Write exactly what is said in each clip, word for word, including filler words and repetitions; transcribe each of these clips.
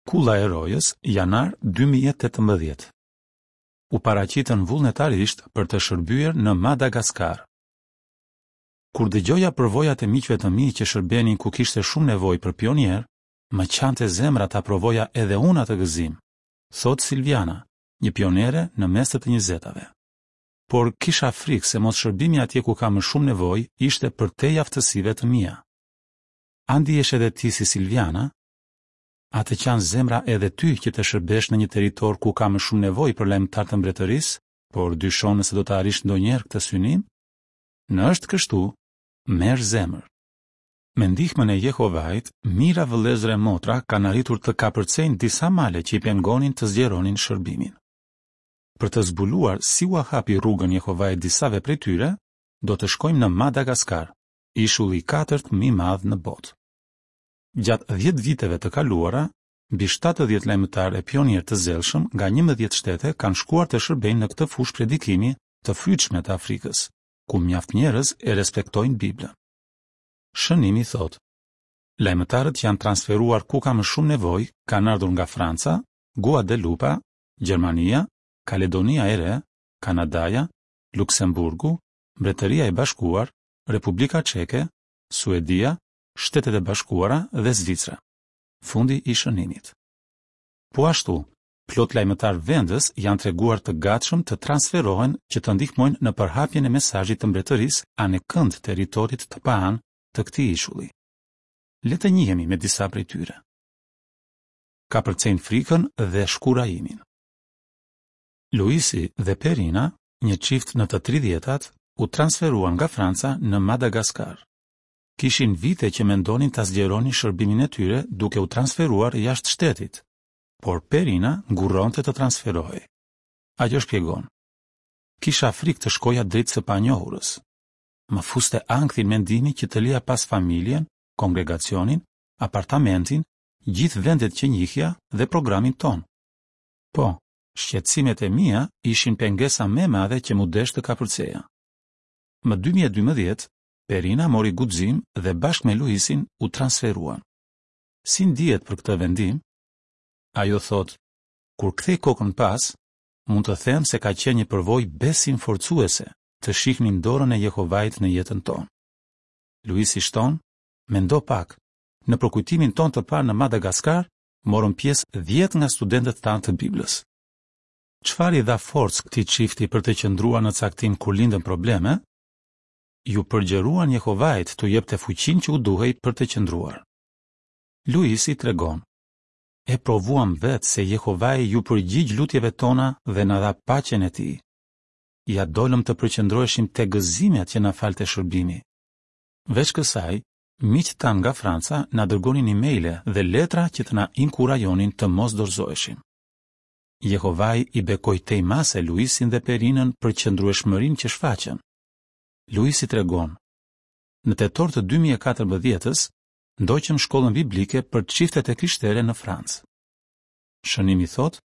Kulla e Rojës, janar dy mijë e tetëmbëdhjetë. U paraqitën vullnetarisht për të shërbyer në Madagaskar. Kur dëgjoja përvojat e miqve të mi që shërbenin ku kishte shumë nevojë për pionierë, më qante zemra ta provoja edhe unë atë gëzim, thotë Silviana, një pionere në mes të të njëzetave. Por kisha frikë se mos shërbimi atje ku ka më shumë nevojë ishte përtej aftësive të mia. A ndihesh edhe ti si Silviana? A të qan zemra edhe ty që të shërbesh në një territor ku ka më shumë nevojë për lajmëtarë të mbretërisë, por dyshon nëse do të arrish ndonjëherë këtë synim? Në është kështu, merr zemër. Me ndihmën e Jehovait, mijëra vëllezër e motra kanë arritur të kapërcejnë disa male që i pengonin të zgjeronin shërbimin. Për të zbuluar si ua hapi rrugën Jehovai disave prej tyre, do të shkojmë në Madagaskar, ishulli i katërt më i madh në botë. Gjatë dhjetë viteve të kaluara, mbi shtatëdhjetë lajmëtarë e pionierë të zellshëm nga njëmbëdhjetë shtete kanë shkuar të shërbejnë në këtë fushë predikimi të frytshme të Afrikës, ku mjaft njerëz e respektojnë Biblën. Shënimi thotë: Lajmëtarët që janë transferuar ku ka më shumë nevojë kanë ardhur nga Franca, Guadelupa, Gjermania, Kaledonia e Re, Kanadaja, Luksemburgu, Mbretëria e Bashkuar, Republika Çeke, Suedia, Shtetet e Bashkuara dhe Zvicra. Fundi i shënimit. Po ashtu, plot lajmëtar vendës janë treguar të gatshëm të transferohen që të ndihmojnë në përhapjen e mesazhit të mbretërisë anekënd territorit të paanë të këtij ishulli. Le të njihemi me disa prej tyre. Kapërcejnë frikën dhe shkurajimin. Luisi dhe Perina, një çift në të tridhjetat, u transferuan nga Franca në Madagaskar. Kishin vite që mendonin ta zgjeronin shërbimin e tyre duke u transferuar jashtë shtetit, por Perina ngurronte të transferohej. Ajo shpjegon: Kisha frikë të shkoja drejt së panjohurës. Më fuste ankthin mendimi që të lija pas familjen, kongregacionin, apartamentin, gjithë vendet që njihja dhe programin ton. Po, shqetësimet e mia ishin pengesa më e madhe që mu desh të kapërceja. Më dy mijë e dymbëdhjetë, Perina mori guxim dhe bashkë me Luisin u transferuan. Si ndihet për këtë vendim? Ajo thotë: Kur kthej kokën pas, mund të them se ka qenë një përvojë besimforcuese të shihnim dorën e Jehovait në jetën tonë. Luisi shton: Mendo pak, në përkujtimin tonë të parë në Madagaskar, morën pjesë dhjetë nga studentët tanë të Biblës. Çfarë i dha forcë këtij çifti për të qëndruar në caktim kur lindën probleme? Ju përgjëruan Jehovait t'u jepte fuqinë që u duhej për të qëndruar. Luisi tregon: E provuam vetë se Jehovai ju përgjigj lutjeve tona dhe na dha paqen e tij. Ja dolëm të përqendroheshim te gëzimet që na falte shërbimi. Veç kësaj, miqtë tanë nga Franca na dërgonin emaile dhe letra që të na inkurajonin të mos dorëzoheshim. Jehovai i bekoi tej mase Luisin dhe Perinën për qëndrueshmërinë që shfaqën. Luisi tregon: Në tetor të dy mijë e katërmbëdhjetës, ndoqëm shkollën biblike për çiftet e krishtere në Francë. Shënimi thotë: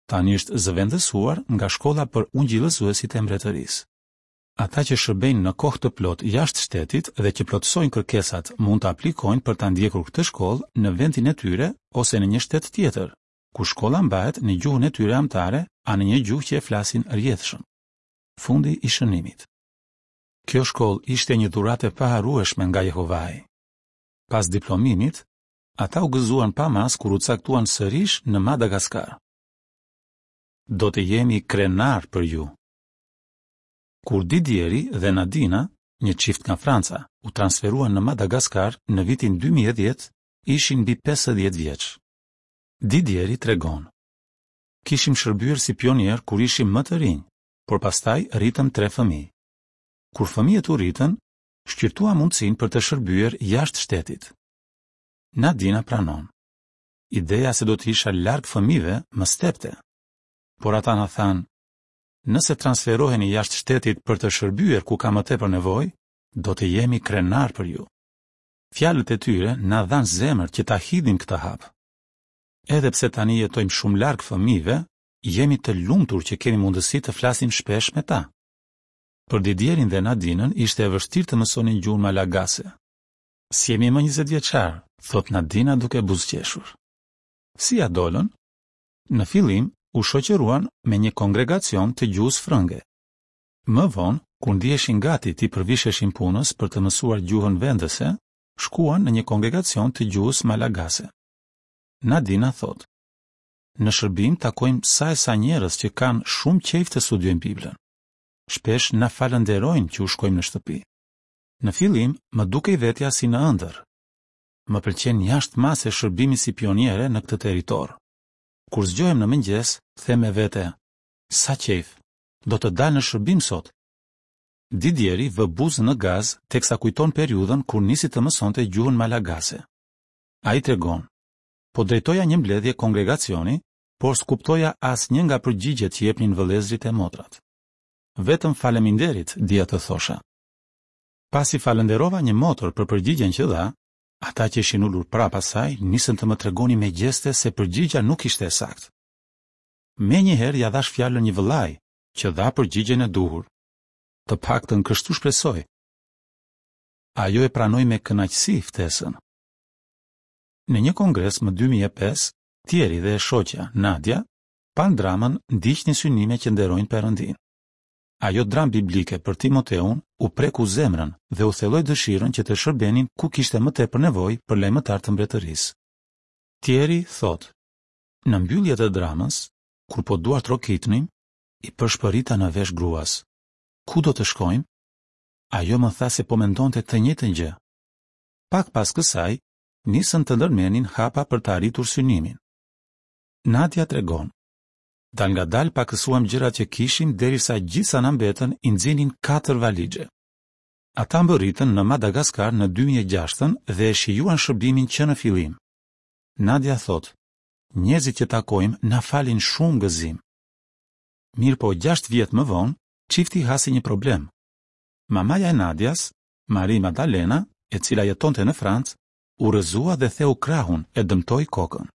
Tani është zëvendësuar nga shkolla për ungjillëzuesit e mbretërisë. Ata që shërbejnë në kohë të plotë jashtë shtetit dhe që plotësojnë kërkesat mund të aplikojnë për ta ndjekur këtë shkollë në vendin e tyre ose në një shtet tjetër, ku shkolla mbahet në gjuhën e tyre amtare a në një gjuhë që e flasin rrjedhshëm. Fundi i shënimit. Kjo shkollë ishte një dhuratë e paharrueshme nga Jehovai. Pas diplomimit, ata u gëzuan pa mas kur u caktuan sërish në Madagaskar. Do të jemi krenar për ju. Kur Didieri dhe Nadina, një çift nga Franca, u transferuan në Madagaskar në vitin dy mijë e dhjetë, ishin mbi pesëdhjetë vjeç. Didieri tregon: Kishim shërbyer si pionier kur ishim më të rinj, por pastaj rritëm tre fëmijë. Kur fëmijët u rritën, shqyrtuam mundësinë për të shërbyer jashtë shtetit. Nadina pranon. Ideja se do të isha larg fëmijëve më stepte. Por ata na thanë: Nëse transferoheni jashtë shtetit për të shërbyer ku ka më tepër nevojë, do të jemi krenar për ju. Fjalët e tyre na dhanë zemër që ta hidhim këtë hap. Edhe pse tani jetojmë shumë larg fëmijëve, jemi të lumtur që kemi mundësi të flasim shpesh me ta. Për Didierin dhe Nadinën ishte e vështirë të mësonin gjuhën malagase. Si jemi më njëzet vjeçar, thot Nadina duke buzëqeshur. Si ia dolën? Në fillim, u shoqëruan me një kongregacion të gjuhës frënge. Më vonë, kur ndiheshin gati t'i përvisheshin punës për të mësuar gjuhën vendëse, shkuan në një kongregacion të gjuhës malagase. Nadina thotë: Në shërbim takojmë sa e sa njerëz që kanë shumë qejf të studiojnë Biblën. Shpesh na falënderojnë që u shkojmë në shtëpi. Në fillim, më dukej vetja si në ëndër. Më pëlqen jashtë mase shërbimi si pioniere në këtë territor. Kur zgjohem në mëngjes, them me vete, sa qejf, do të dal në shërbim sot. Didieri vë buzën në gaz teksa kujton periudhën kur nisi të mësonte gjuhën malagase. Ai tregon: Po drejtoja një mbledhje kongregacioni, por s'kuptoja asnjë nga përgjigjet që jepnin vëllezërit e motrat. Vetëm faleminderit dija të thosha. Pasi falënderova një motër për përgjigjen që dha, ata që ishin ulur prapa saj nisën të më tregonin me gjeste se përgjigja nuk ishte e saktë. Menjëherë ia dhash fjalën një vëllai, që dha përgjigjen e duhur. Të paktën kështu shpresoj. Ajo e pranoi me kënaqësi ftesën. Në një kongres më dy mijë e pesë, Thierry dhe e shoqja, Nadia, panë dramën Ndiqni synime që nderojnë Perëndinë. Ajo dramë biblike për Timoteun u preku zemrën dhe u thelloi dëshirën që të shërbenin ku kishte më tepër nevojë për lajmëtar të mbretërisë. Thierry thotë: Në mbyllje të dramës, kur po duar trokitnim, i përshpërita në vesh gruas: Ku do të shkojmë? Ajo më tha se po mendonte të njëjtën gjë. Pak pas kësaj, nisën të ndërmerrnin hapa për të arritur synimin. Nadia tregon: Dal nga dal pakësuam gjërat që kishim derisa gjithë sa na mbetën i nxinin katër valixhe. Ata mbërritën në Madagaskar në dy mijë e gjashtën dhe e shijuan shërbimin që në fillim. Nadia thotë: Njerëzit që takojmë na falin shumë gëzim. Mirë po gjashtë vjet më vonë, çifti hasi një problem. Mamaja e Nadias, Marie Madalena, e cila jetonte në Francë, u rrëzua dhe theu krahun e dëmtoi kokën.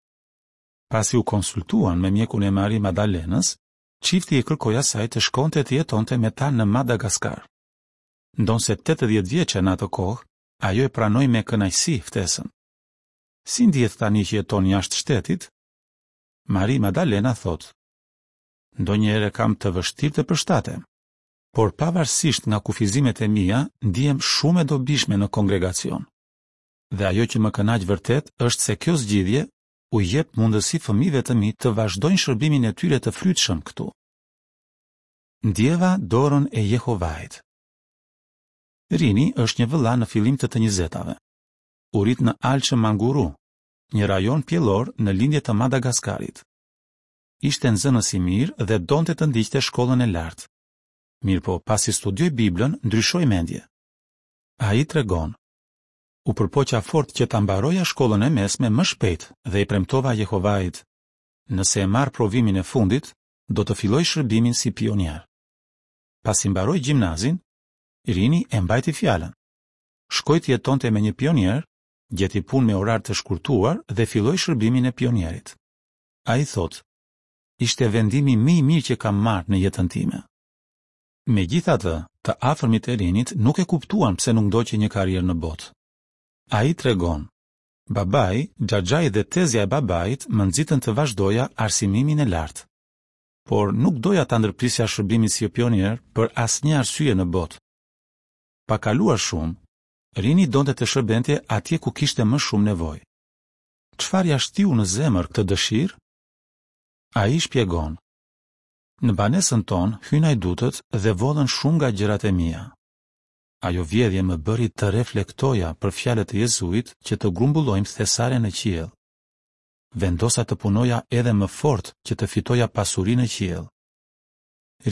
Pasi u konsultuan me mjekun e Marie Madalenës, çifti i kërkoi asaj të shkonte të jetonte me ta në Madagaskar. Ndonëse tetëdhjetë vjeçe në atë kohë, ajo e pranoi me kënaqësi ftesën. Si ndihet tani që jeton jashtë shtetit? Marie Madalena thotë: Ndonjëherë e kam të vështirë të përshtatem, por pavarësisht nga kufizimet e mia, ndihem shumë e dobishme në kongregacion. Dhe ajo që më kënaq vërtet është se kjo zgjidhje u jep mundësi fëmijëve të mi të vazhdojnë shërbimin e tyre të frytshëm këtu. Ndjeva dorën e Jehovait. Rini është një vëlla në fillim të të njëzetave. U rrit në Alçë Manguru, një rajon pjellor në lindje të Madagaskarit. Ishte nxënës i mirë dhe donte të ndiqte shkollën e lartë. Mirëpo, pasi studioi Biblën, ndryshoi mendje. Ai tregon: U përpoqa fort që ta mbaroja shkollën e mesme më shpejt dhe i premtova Jehovait: Nëse e marr provimin e fundit, do të filloj shërbimin si pionier. Pasi mbaroi gjimnazin, Rini e mbajti fjalën. Shkoi të jetonte me një pionier, gjeti punë me orar të shkurtuar dhe filloi shërbimin e pionierit. Ai thotë: Ishte vendimi më i mirë që kam marrë në jetën time. Megjithatë, të afërmit e Rinit nuk e kuptuan pse nuk ndoqi një karrierë në botë. Ai tregon: Babai, xhaxhai dhe tezja e babait më nxitën të vazhdoja arsimimin e lartë. Por nuk doja ta ndërprisja shërbimin si pionier për asnjë arsye në botë. Pa kaluar shumë, Rini donte të shërbente atje ku kishte më shumë nevojë. Çfarë ja shtiu në zemër këtë dëshirë? Ai shpjegon: Në banesën tonë hynë hajdutët dhe vodhën shumë nga gjërat e mia. Ajo vjedhje më bëri të reflektoja për fjalët e Jezuit që të grumbullojmë thesare në qiell. Vendosa të punoja edhe më fort që të fitoja pasuri në qiell.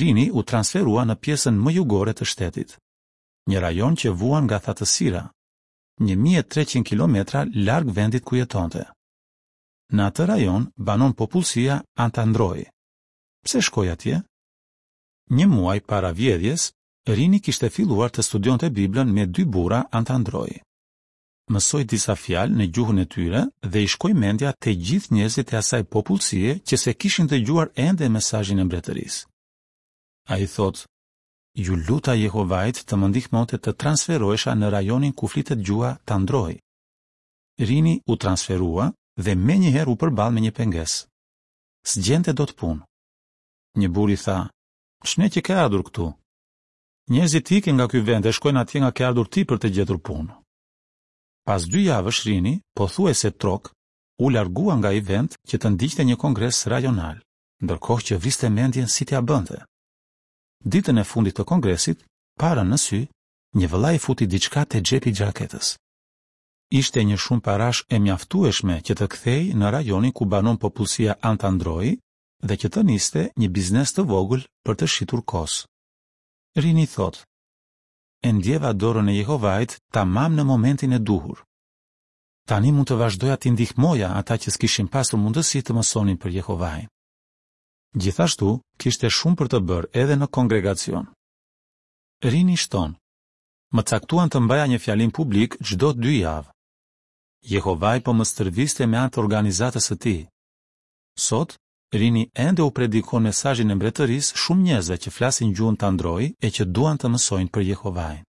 Rini u transferua në pjesën më jugore të shtetit, një rajon që vuan nga thatësira, një mijë e treqind kilometra larg vendit ku jetonte. Në atë rajon banon popullsia Antandroi. Pse shkoi atje? Një muaj para vjedhjes, Rini kishte filluar të studionte Biblën me dy burra Antandroi. Mësoi disa fjalë në gjuhën e tyre dhe i shkoi mendja te gjithë njerëzit e asaj popullsie që se kishin dëgjuar ende mesazhin e mbretërisë. Ai thotë: Ju luta Jehovait të më ndihmonte të transferohesha në rajonin ku flitet gjuha Tandroi. Rini u transferua dhe menjëherë u përball me një pengesë. S'gjente dot punë. Një burrë i tha: "Ç'ne që ke ardhur këtu? Njerëzit ikin nga ky vend e shkojnë atje nga ke ardhur ti për të gjetur punë." Pas dy javësh Rini, pothuajse trok, u largua nga ai vend që të ndiqte një kongres rajonal, ndërkohë që vriste mendjen si t'ia bënte. Ditën e fundit të kongresit, pa rënë në sy, një vëlla i futi diçka te xhepi i xhaketës. Ishte një shumë parash e mjaftueshme që të kthehej në rajonin ku banon popullsia Antandroi dhe që të niste një biznes të vogël për të shitur kos. Rini thotë: "E ndjeva dorën e Jehovait tamam në momentin e duhur. Tani mund të vazhdoja t'i ndihmoja ata që s'kishin pasur mundësi të mësonin për Jehovain." Gjithashtu, kishte shumë për të bërë edhe në kongregacion. Rini shton: "Më caktuan të mbaja një fjalim publik çdo dy javë. Jehovai po më stërviste me anë të organizatës së tij. Sot, Rini ende u predikon mesazhin e mbretërisë shumë njerëzve që flasin gjuhën Tandroi e që duan të mësojnë për Jehovain.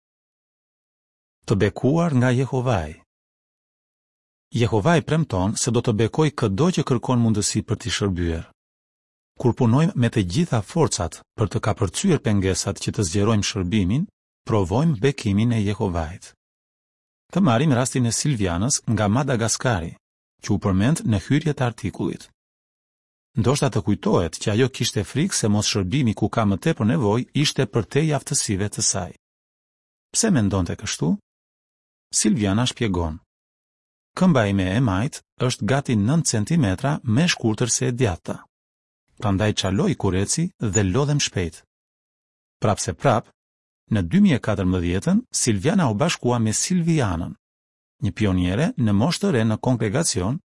Të bekuar nga Jehovai. Jehovai premton se do të bekojë këdo që kërkon mundësi për t'i shërbyer. Kur punojmë me të gjitha forcat për të kapërcyer pengesat që të zgjerojmë shërbimin, provojmë bekimin e Jehovait. Të marrim rastin e Silvianës nga Madagaskari, që u përmend në hyrje të artikullit. Ndoshta të kujtohet që ajo kishte frikë se mos shërbimi ku ka më tepër nevojë ishte përtej aftësive të saj. Pse mendonte kështu? Silviana shpjegon: "Këmba ime e majtë është gati nëntë centimetra më e shkurtër se e djathta. Prandaj çaloj kur eci dhe lodhem shpejt." Prapse prap, në dy mijë e katërmbëdhjetën, Silviana u bashkua me Silvianën, një pioniere në moshë të re në kongregacion,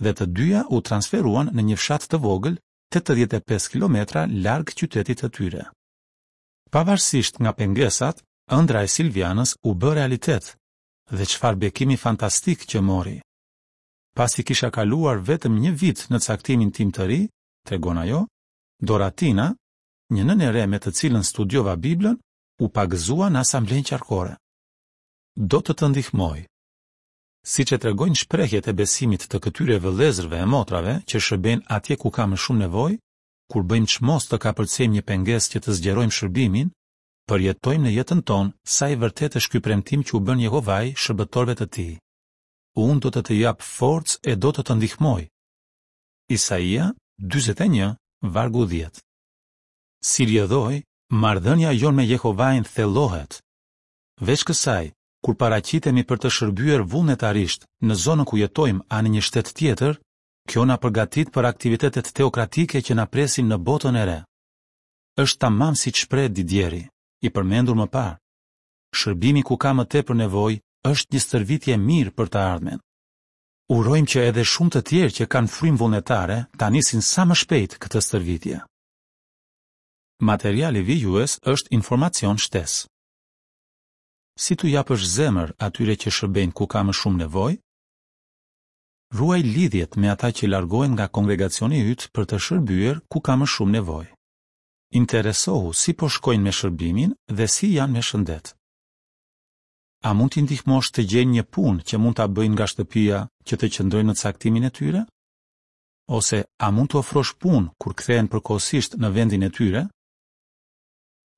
dhe të dyja u transferuan në një fshat të vogël tetëdhjetë e pesë kilometra larg qytetit të tyre. Pavarësisht nga pengesat, ëndra e Silvianës u bë realitet, dhe çfarë bekimi fantastik që mori. Pasi kisha kaluar vetëm një vit në caktimin tim të ri, tregon ajo, Doratina, një nënë e re me të cilën studiova Biblën, u pagëzua në asamblenë qarkore. Do të të ndihmoj. Siç e tregojnë shprehjet e besimit të këtyre vëllezërve e motrave që shërbejnë atje ku ka më shumë nevojë, kur bëjmë çmos të kapërcejmë një pengesë që të zgjerojmë shërbimin, përjetojmë në jetën tonë sa i vërtetë është ky premtim që u bën Jehovai shërbëtorëve të tij. Unë do të të jap forcë e do të të ndihmoj. Isaia dyzet e një, vargu dhjetë. Si rrjedhoj, marrëdhënia jonë me Jehovain thellohet. Veç kësaj, kur paraqitemi për të shërbyer vullnetarisht në zonën ku jetojmë a në një shtet tjetër, kjo na përgatit për aktivitetet teokratike që na presin në botën e re. Është tamam siç shpreh Didieri, i përmendur më parë. Shërbimi ku ka më tepër nevojë është një stërvitje e mirë për të ardhmen. Urojmë që edhe shumë të tjerë që kanë frymë vullnetare ta nisin sa më shpejt këtë stërvitje. Materiali vijues është informacion shtesë. Si t'u japësh zemër atyre që shërbejnë ku ka më shumë nevojë? Ruaj lidhjet me ata që largohen nga kongregacioni yt për të shërbyer ku ka më shumë nevojë. Interesohu si po shkojnë me shërbimin dhe si janë me shëndet. A mund t'i ndihmosh të gjejnë një punë që mund ta bëjnë nga shtëpia që të qëndrojnë në caktimin e tyre? Ose a mund t'u ofrosh punë kur kthehen përkohësisht në vendin e tyre?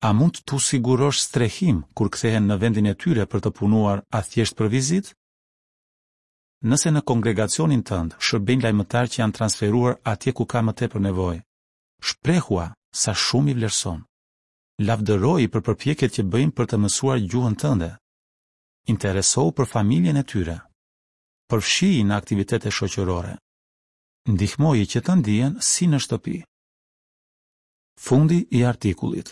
A mund t'u sigurosh strehim kur kthehen në vendin e tyre për të punuar a thjesht për vizitë? Nëse në kongregacionin tënd shërbejnë lajmëtarë që janë transferuar atje ku ka më tepër nevojë, shprehua sa shumë i vlerëson. Lavdëroi për përpjekjet që bëjnë për të mësuar gjuhën tënde. Interesohu për familjen e tyre. Përfshiji në aktivitete shoqërore. Ndihmoji që të ndihen si në shtëpi. Fundi i artikullit.